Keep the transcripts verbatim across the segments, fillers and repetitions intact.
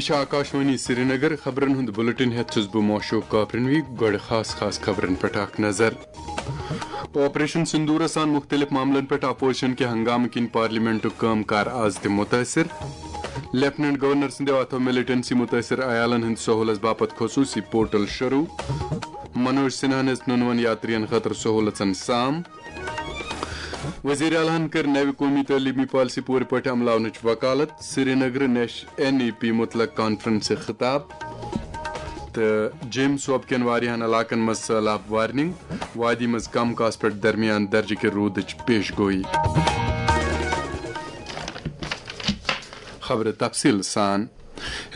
چھِ آکاشوانی سرینگر۔ خبرن ہُنٛد بُلٹن ہٮ۪تھ چھُس بہٕ موشوق کاپرنوی۔ گۄڈٕ خاص خاص خبرن پٮ۪ٹھ اکھ نظر۔ آپریشن سندورس آن مُختٔلِف معاملن پٮ۪ٹھ اپوزیشن کہِ ہنگامہٕ کِنۍ پارلیمنٹُک کٲم کار از تہِ مُتٲثِر۔ لیفٹیننٹ گورنر سٕنٛدیو اتھو ملٹنسی مُتٲثِر عیالن ہٕنٛدِ سہوٗلژ باپتھ خصوٗصی پورٹل شروٗع۔ منوج سنہاہن ہیٚژ نُنون یاترین خٲطرٕ سہوٗلژن سام۔ وزیر اعلیٰ ہن کٔر نوِ قومی تعلیمی پالیسی پوٗرٕ پٲٹھۍ عملاونٕچ وکالت۔ سرینگرٕ نیش این ای پی متعلق کانفرنسہِ خطاب۔ تہٕ جیمز صوب کٮ۪ن واریاہن علاقن منٛز سٔہلاب وارننگ، وادی منٛز کم کاس پٮ۪ٹھ درمیان درجہٕ کہِ روٗدٕچ پیش گویی۔ خبرٕ تفصیٖل سان۔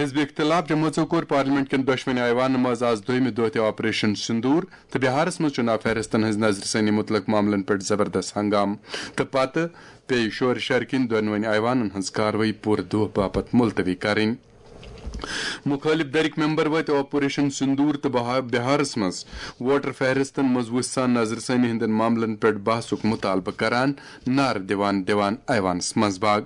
حزب اختلاف جمٲژو کوٚر پارلیمنٹ کٮ۪ن دۄشوٕنی ایوانن منٛز آز دوٚیمہِ دۄہ تہِ آپریشن سندور تہٕ بہارس منٛز چُناو فہرستن ہٕنٛز نظرثٲنی متعلق معاملن پٮ۪ٹھ زبردست ہنگامہٕ تہٕ پتہٕ پیٚیہِ شورٕ شرٕ کِنۍ دۄنوٕنی ایوانن ہٕنٛز کاروٲیی پوٗرٕ دۄہ باپتھ ملتوی کرٕنۍ۔ مُخٲلِف دٔرِکۍ ممبر وٲتۍ آپریشن سندور تہٕ بہا-، بہارس منٛز ووٹر فہرستن منٛز وُژھ سان نظرثٲنی ہٕنٛدٮ۪ن معاملن پٮ۪ٹھ بحثُک مطالبہٕ کران، نعرٕ دِوان دِوان ایوانس منٛز باگ۔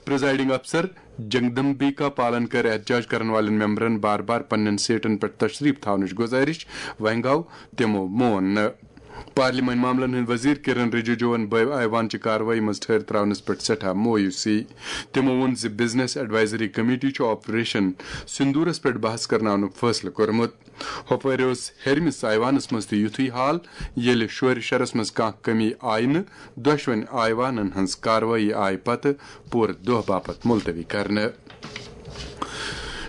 پریزائیڈنگ افسر جگدمبیکا پالن کٔر احتجاج کرن والٮ۪ن ممبرن بار بار پننٮ۪ن سیٹن پٮ۪ٹھ تشریف تھاونٕچ گزارش، وۄنۍ گوٚو تِمو مون نہٕ۔ پارلیمانی معاملن ہٕنٛدۍ وزیر کرن رجیجوَن بٲوۍ ایوان چہِ کاروٲیی منٛز ٹھٔہر تراونس پٮ۪ٹھ سٮ۪ٹھاہ مایوسی۔ تِمو ووٚن زِ بزنس ایڈوائزری کمیٹی چھُ آپریشن سندورس پٮ۪ٹھ بحث کرناونُک فٲصلہٕ کوٚرمُت۔ ہۄپٲرۍ اوس ہیٚرمِس ایوانس منٛز تہِ یُتھُے حال، ییٚلہِ شورِ شرس منٛز کانٛہہ کمی آیہِ نہٕ، دۄشوٕنۍ ایوانن ہٕنٛز کاروٲیی آیہِ پتہٕ پوٗرٕ دۄہ باپتھ ملتوی کرنہٕ۔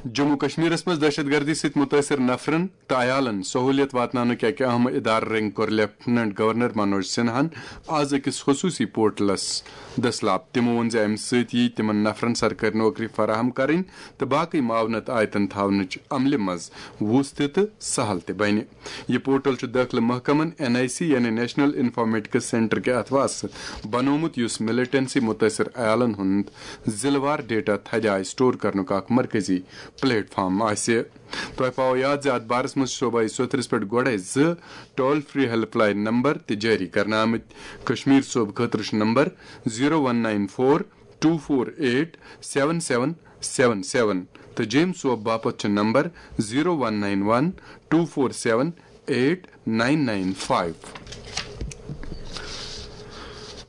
جموں کشمیرس منٛز دہشت گردی سۭتۍ مُتٲثر نفرن تہٕ عیالن سہوٗلیت واتناونٕکۍ اَکہِ اہم ادارٕ رٔنگۍ کوٚر لیفٹیننٹ گورنر منوج سنہاہن آز أکِس خصوٗصی پورٹلس دٔسلاب۔ تِمو ووٚن زِ اَمہِ سۭتۍ یِیہِ تِمن نفرن سرکٲرۍ نوکری فراہم کرٕنۍ تہٕ باقٕے معاونت آیتن تھاونٕچ عملہِ منٛز وُژھ تہِ تہٕ سہل تہِ بنہِ۔ یہِ پورٹل چھُ دٲخلہٕ محکمن این آئی سی یعنی نیشنل انفارمیٹکس سینٹر کہِ اتھواسہٕ بنوومُت، یُس ملٹنسی مُتٲثر عیالن ہُنٛد ضلع وار ڈیٹا تھدِ آیہِ سٹور کرنُک اکھ مرکزی پلیٹ فارم آسہِ۔ تۄہہِ پاوو یاد زِ اتھ بارس منٛز چھِ صوبائی سوٚتھرِس پٮ۪ٹھ گۄڈے زٕ toll free helpline number تہِ جٲری کرنہٕ آمٕتۍ۔ کشمیر صوبہٕ خٲطرٕ چھُ number zero one nine four two four eight seven seven seven seven تہٕ جیمز صوب باپتھ چھُ number zero one nine one two four seven eight nine nine five.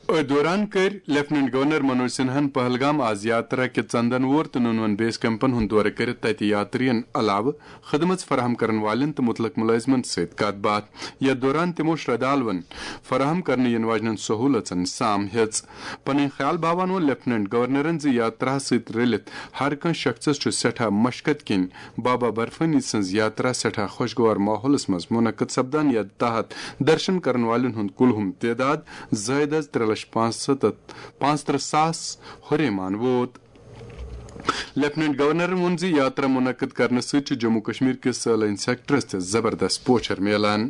أتھۍ دوران کٔرۍ لیفٹیننٹ گورنر منوج سنہاہن پہلگام آز یاترا کہِ ژندن وور تہٕ نُنون بیس کیمپن ہُنٛد دورٕ کٔرِتھ تتہِ یاترین علاوٕ خدمت فراہم کرن والٮ۪ن تہٕ مُتعلق مُلٲزمن سۭتۍ کتھ باتھ۔ یتھ دوران تِمو شردالون فراہم کرنہٕ یِنہٕ واجنٮ۪ن سہوٗلژن سام ہیٚژ۔ پنٕنۍ خیال باوان ووٚن لیفٹیننٹ گورنرن زِ یاتراہس سۭتۍ رٔلِتھ ہر کانٛہہ شخصس چھُ سٮ۪ٹھاہ مشقت کِنۍ بابا برفانی سٕنٛز یاترا سٮ۪ٹھاہ خۄشگوار ماحولس منٛز منعقد سپدان، یتھ تحت درشن کرن والٮ۪ن ہُنٛد کُلہُم تعداد زٲیِد از ترٛےٚ لچھ پانٛژھ ستتھ پانٛژترٕہ ساس ہُریمان ووت۔ لیفٹیننٹ گورنرن ووٚن زِ یاترا منعقد کرنہٕ سۭتۍ چھُ جموں کشمیر کِس سٲلٲنۍ سیکٹرس تہِ زبردست پوچھر میلان۔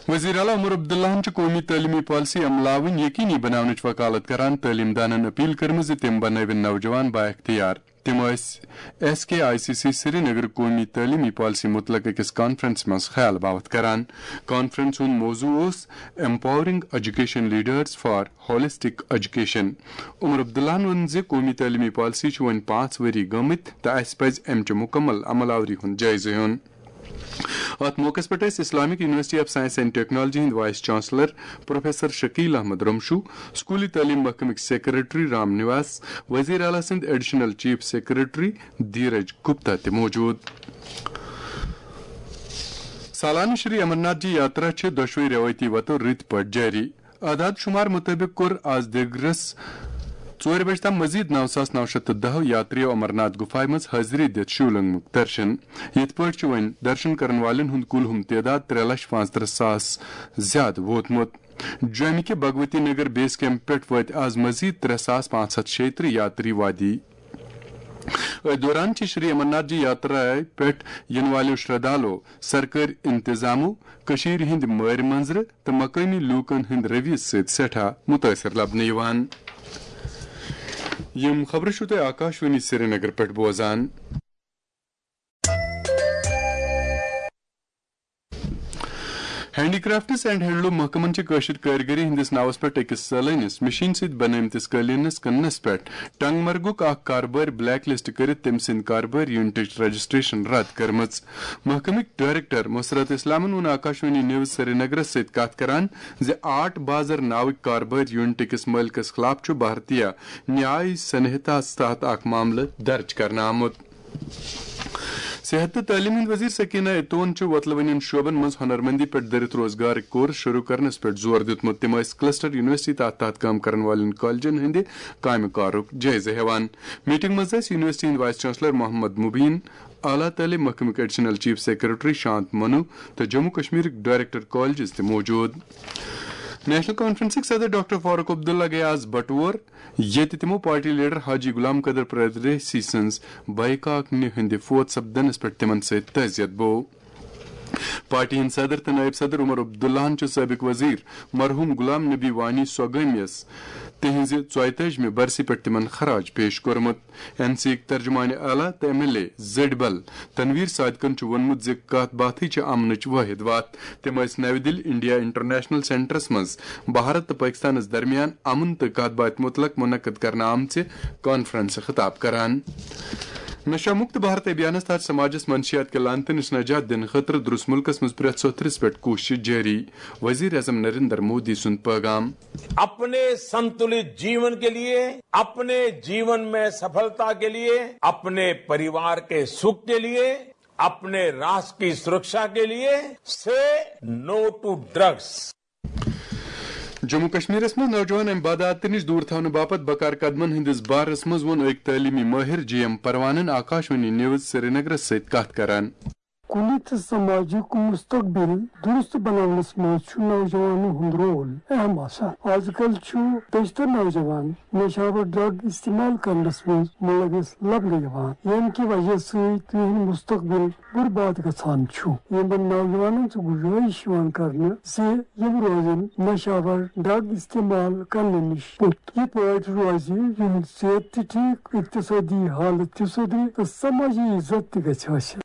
وزیر اعلیٰ عمر عبداللہن چھِ قومی تعلیمی پالیسی عملاوٕنۍ یقینی بناونٕچ وکالت کران تعلیٖم دانن اپیل کٔرمٕژ زِ تِم بنٲوِن نوجوان بااختیار۔ تِم ٲسۍ S K I C C Srinagar قومی تعلیمی پالیسی متعلق أکِس کانفرنس منٛز خیال باوتھ کران۔ کانفرنس ہُنٛد موضوع اوس Empowering Education Leaders for Holistic Education۔ عمر عبداللہن ووٚن زِ قومی تعلیمی پالیسی چھِ وۄنۍ پانٛژھ ؤری گٔمٕتۍ تہٕ اَسہِ پَزِ اَمہِ چہِ مُکمل عمل آوری ہُنٛد جٲیزٕ ہیوٚن۔ اتھ موقعس پٮ۪ٹھ ٲسۍ Islamic university of science and technology ہٕنٛدۍ vice chancellor professor Shakeel Ahmad Ramshoo, سکولی تعلیٖم محکمٕکۍ سیکرٹری رام نواس، وزیر اعلیٰ سٕنٛدۍ additional chief secretary Dheeraj Gupta تہِ موجود۔ سالانہٕ شری امرناتھ جی یاترا چھِ دۄشوے روایتی وتو رٕتۍ پٲٹھۍ جٲری۔ اعداد شمار مطٲبق کوٚر آز دیگرس ژورِ بجہِ تام مزید نو ساس نو شیٚتھ تہٕ دَہ یاتریو امرناتھ گُفایہِ منٛز حٲضری دِتھ شیولنگمُک درشن۔ یِتھ پٲٹھۍ چھُ وۄنۍ درشن کرن والٮ۪ن ہُنٛد کُلہُم تعداد ترٛےٚ لچھ پانٛژترٕہ ساس زیادٕ ووتمُت۔ جوٚمہِ کہِ بھگوتی نگر بیس کیمپ پٮ۪ٹھ وٲتۍ آز مزید ترٛےٚ ساس پانٛژھ ہتھ شیٚیہِ ترٕٛہ یاتری وادی۔ أتھۍ دوران چھِ شری امرناتھ جی یاترا پٮ۪ٹھ یِنہٕ والٮ۪و شردالو سرکٲرۍ انتظامو، کٔشیٖرِ ہٕنٛدۍ مٲرۍ منظرٕ تہٕ مقٲمی لوٗکن ہٕنٛدۍ رویس سۭتۍ سٮ۪ٹھاہ مُتٲثِر لبنہٕ یِوان۔ یِم خبرٕ چھِو تُہۍ آکاشوانی سرینگر پٮ۪ٹھ بوزان۔ ہینڈی کرافٹس اینڈ ہینڈلوم محکمن چھِ کٲشِر کٲرِگٔری ہٕنٛدِس ناوس پٮ۪ٹھ أکِس سٲلٲنِس مِشیٖن سۭتۍ بنٲومتِس قٲلیٖنس کٕننس پٮ۪ٹھ ٹنگ مرگُک اکھ کاربٲرۍ بلیک لسٹ کٔرِتھ تٔمۍ سٕنٛدۍ کاربٲرۍ یونٹٕچ رجسٹریشن رد کٔرمٕژ۔ محکمٕکۍ ڈائریکٹر مسرت اسلامن ووٚن آکاشوانی نیوز سرینگرس سۭتۍ کتھ کران زِ آرٹ بازر ناوٕکۍ کاربٲرۍ یونٹہٕ کِس مٲلکس خلاف چھُ بھارتیہ نیاے سنہتاہس تحت اکھ معاملہٕ درج کرنہٕ آمُت۔ صحت تہٕ تعلیٖم ہٕنٛدۍ وزیر سکینہ اتون چھِ وۄتلہٕ وٕنٮ۪ن شعبن منٛز ہنرمندی پٮ۪ٹھ دٔرِتھ روزگارٕکۍ کورس شروع کرنس پٮ۪ٹھ زور دیُتمُت۔ تِم ٲسۍ کلسٹر یونیورسٹی تحت تحت کٲم کرن والٮ۪ن کالجن ہٕنٛدِ کامہِ کارُک جٲیزٕ ہٮ۪وان۔ میٹنگ منٛز ٲسۍ یونیورسٹی ہٕنٛدۍ وائس چانسلر محمد مبین، اعلیٰ تعلیٖم محکمٕکۍ ایڈیشنل چیف سیکرٹری شانت منو تہٕ جموں کشمیرٕکۍ ڈائریکٹر کالجز تہِ موجود۔ نیشنل کانفرنسٕکۍ صدر ڈاکٹر فاروق عبداللہ گٔیہِ آز بٹور، ییٚتہِ تِمو پارٹی لیڈر حاجی غلام قدر پردیسی سٕنٛز بایکاکنہِ ہٕنٛدِ فوت سپدنس پٮ۪ٹھ تِمن سۭتۍ تعزیت بوو۔ پارٹی ہٕنٛدۍ صدر تہٕ نائب صدر عمر عبداللہن چھُ سٲبق وزیر مرحوم غلام نبی وانی سوگٲمیَس تِہنٛزِ ژۄیتٲجمہِ برسی پٮ۪ٹھ تِمن خراج پیش کوٚرمُت۔ این سی یٕک ترجمان اعلیٰ تہٕ ایم ایل اے زٔڈۍ بل تنویر صادقن چھُ ووٚنمُت زِ کتھ باتھٕے چھِ امنٕچ وٲحد وتھ۔ تِم ٲسۍ نَوِ دِلہِ انڈیا انٹرنیشنل سینٹرس منٛز بھارت تہٕ پٲکستانس درمیان امن تہٕ کتھ باتھِ متعلق منعقد کرنہٕ آمژِ کانفرنسہِ خطاب کران۔ نشہ مکت بھارت ابھیانس تحت سماجس منشیات کہِ لعنتہٕ نِش نجات دِنہٕ خٲطرٕ درست ملکس منٛز پرٛٮ۪تھ سوٚتھرِس پٮ۪ٹھ کوٗشش جٲری، وزیر اعظم نریندر مودی سُنٛد پیغام۔ अपने संतुलित जीवन के लिए, अपने जीवन में सफलता के लिए, अपने परिवार के सुख के लिए, अपने राष्ट्र की सुरक्षा के लिए, say no to drugs. Jammu کشمیرس منٛز نوجوان امہِ بدعاتہٕ نِش دوٗر تھاونہٕ باپتھ بکار قدمن ہٕنٛدِس بارس منٛز ووٚن أکۍ تعلیٖمی مٲہِر جے ایم پروانن آکاشوانی نیوز سرینگرس سۭتۍ کتھ کران۔ کُنہِ تہِ سماجُک مستقبل درست بناونس منٛز چھُ نوجوانن ہُنٛد رول اہم آسان۔ از کل چھُ بیشتر نوجوان نشہٕ آور ڈرگ استعمال کرنس منٛز ملوث لبنہٕ یِوان، ییٚمہِ کہِ وجہ سۭتۍ تِہُنٛد مستقبل برباد گژھان چھُ۔ یِمن نوجوانن چھِ گُزٲرِش یِوان کرنہٕ زِ یِم روزن نشہٕ آور ڈرگ استعمال کرنہٕ نِش پُتھ۔ یِتھ پٲٹھۍ روزِ یِہُنٛد صحت تہِ ٹھیٖک، اقتصٲدی حالت تہِ سُدرِ تہٕ سمٲجی عزت تہِ گژھِ حٲصِل۔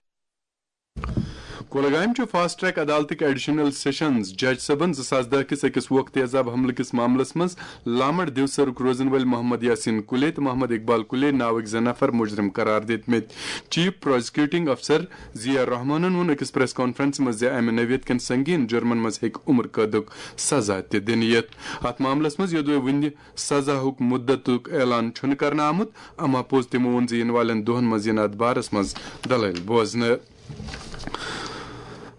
کولگامہِ چھُ فاسٹ ٹریک عدالتٕکۍ ایڈیشنل سیشنز جج صٲبن زٕ ساس دَہ کِس أکِس ووکھٕ تیزاب حملہٕ کِس معاملس منٛز لامڑ دیوسرُک روزن وٲلۍ محمد یاسین کُلے تہٕ محمد اقبال کُلے ناوٕکۍ زٕ نفر مجرم قرار دِتمٕتۍ۔ چیف پراسیکیوٹنگ افسر ضیاء الرحمانن ووٚن أکِس پریس کانفرنسہِ منٛز زِ امہِ نوعیت کٮ۪ن سنگین جرمن منٛز ہیٚکہِ عمر قٲدُک سزا تہِ دِنہٕ یِتھ۔ اتھ معاملس منٛز یوٚدوے وُنہِ سزاہُک مُدتُک اعلان چھُنہٕ کرنہٕ آمُت، اما پوٚز تِمو ووٚن زِ یِنہٕ والٮ۪ن دۄہن منٛز یِن اتھ بارس منٛز دلٲیل بوزنہٕ۔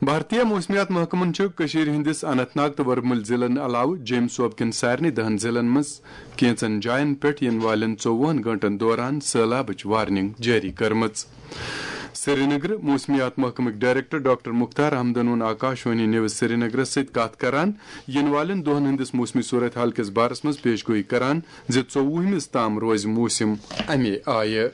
بھارتیہ موسمیات محکمن چھُ کٔشیٖرِ ہٕنٛدِس اننت ناگ تہٕ ورمُلۍ ضلعن علاوٕ جیٚمۍ صوبہٕ کٮ۪ن سارنٕے دَہن ضلعن منٛز کینٛژن جاین پٮ۪ٹھ یِنہٕ والٮ۪ن ژوٚوُہن گٲنٛٹن دوران سٔہلابٕچ وارننگ جٲری کٔرمٕژ۔ سرینگرٕ موسمیات محکمٕکۍ ڈائریکٹر ڈاکٹر مختار احمدن ووٚن آکاشوانی نیوز سرینگرس سۭتۍ کتھ کران، یِنہٕ والٮ۪ن دۄہن ہٕنٛدِس موسمی صورت حال کِس بارس منٛز پیش گویی کران زِ ژوٚوُہمِس تام روزِ موسم امے آیہِ۔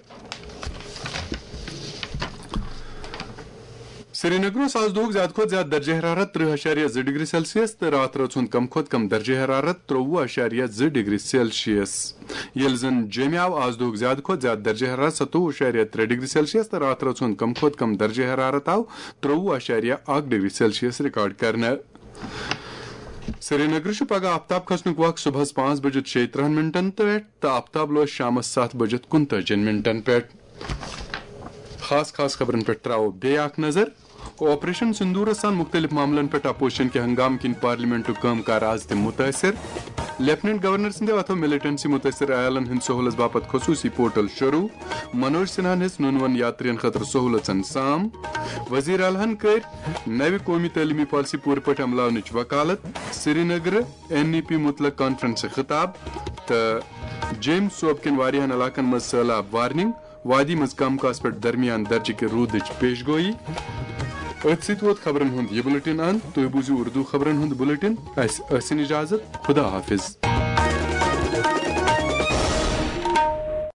سرینگر اوس آز دۄہُک زیادٕ کھۄتہٕ زیادٕ درجہ حرارت ترٕہ اَشاریہ زٕ ڈگری سیلسیس تہٕ راتھ رٲژ ہُنٛد کم کھۄتہٕ کم درجہ حرارت ترٛۆوُہ اَشاریہ زٕ ڈگری سیلسیس۔ ییٚلہِ زن جیٚمہِ آو آز دۄہُک زیادٕ کھۄتہٕ زیادٕ درجہ حرارت ستووُہ اَشاریہ ترٛےٚ ڈگری سیلسیس تہٕ راتھ رٲژ ہُنٛد کم کھۄتہٕ کم درجہ حرارت آو ترٛۆوُہ اَشاریہ اکھ ڈگری سیلسیس ریکارڈ کرنہٕ۔ سرینگر چھُ پگہہ آفتاب کھسنُک وق صبحس پانٛژھ بجہِ شیٚیہِ ترٕٛہن منٹن پٮ۪ٹھ تہٕ آفتاب لوس شامس ستھ بجہِ کُنتٲجِن منٹن پٮ۪ٹھ۔ خاص خاص خبرن پٮ۪ٹھ تراوو بیٚیہِ اکھ نظر۔ آپریشن سندورس سان مختلف معاملن پٮ۪ٹھ اپوزیشن کہِ ہنگامہٕ کِنۍ پارلیمنٹُک کٲم کار از تہِ متٲثر۔ لیفٹیننٹ گورنر سٕنٛدِ اتھو ملیٹنسی متٲثر عیالن ہٕنٛدِ سہولژ باپتھ خصوصی پورٹل شروع۔ منوج سنہاہن ہیٚژ نُنون یاترین خٲطرٕ سہولژن سام۔ وزیر اعلیٰ ہن کٔرۍ نوِ قومی تعلیمی پالیسی پوٗرٕ پٲٹھۍ عملاونٕچ وکالت۔ سرینگرٕ این ای پی متعلق کانفرنسہِ خطاب تہٕ جیٚمۍ صوبہٕ کٮ۪ن واریاہن علاقن منٛز سٔہلاب وارننگ۔ وادی منٛز کم کاس پٮ۪ٹھ درمیان درجہٕ کہِ روٗدٕچ پیش گویی۔ أتھۍ سۭتۍ ووت خبرن ہُنٛد یہِ بُلٹن اند۔ تُہۍ بوٗزِو اردو خبرن ہُنٛد بُلٹن۔ اسہِ ٲسِن اجازت۔ خدا حافظ۔